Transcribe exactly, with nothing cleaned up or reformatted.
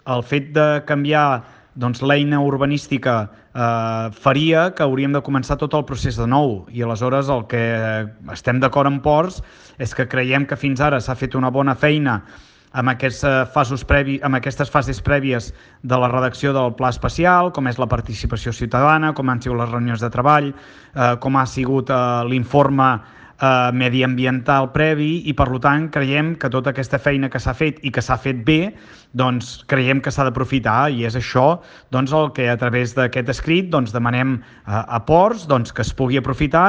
el fet de canviar doncs, l'eina urbanística eh, faria que hauríem de començar tot el procés de nou, i aleshores el que estem d'acord amb Ports és que creiem que fins ara s'ha fet una bona feina amb, aquests fasos previ, amb aquestes fases prèvies de la redacció del pla especial, com és la participació ciutadana, com han sigut les reunions de treball, eh, com ha sigut eh, l'informe eh, mediambiental previ, i per tant creiem que tota aquesta feina que s'ha fet i que s'ha fet bé, doncs creiem que s'ha d'aprofitar, i és això doncs, el que a través d'aquest escrit doncs, demanem a, a Ports doncs, que es pugui aprofitar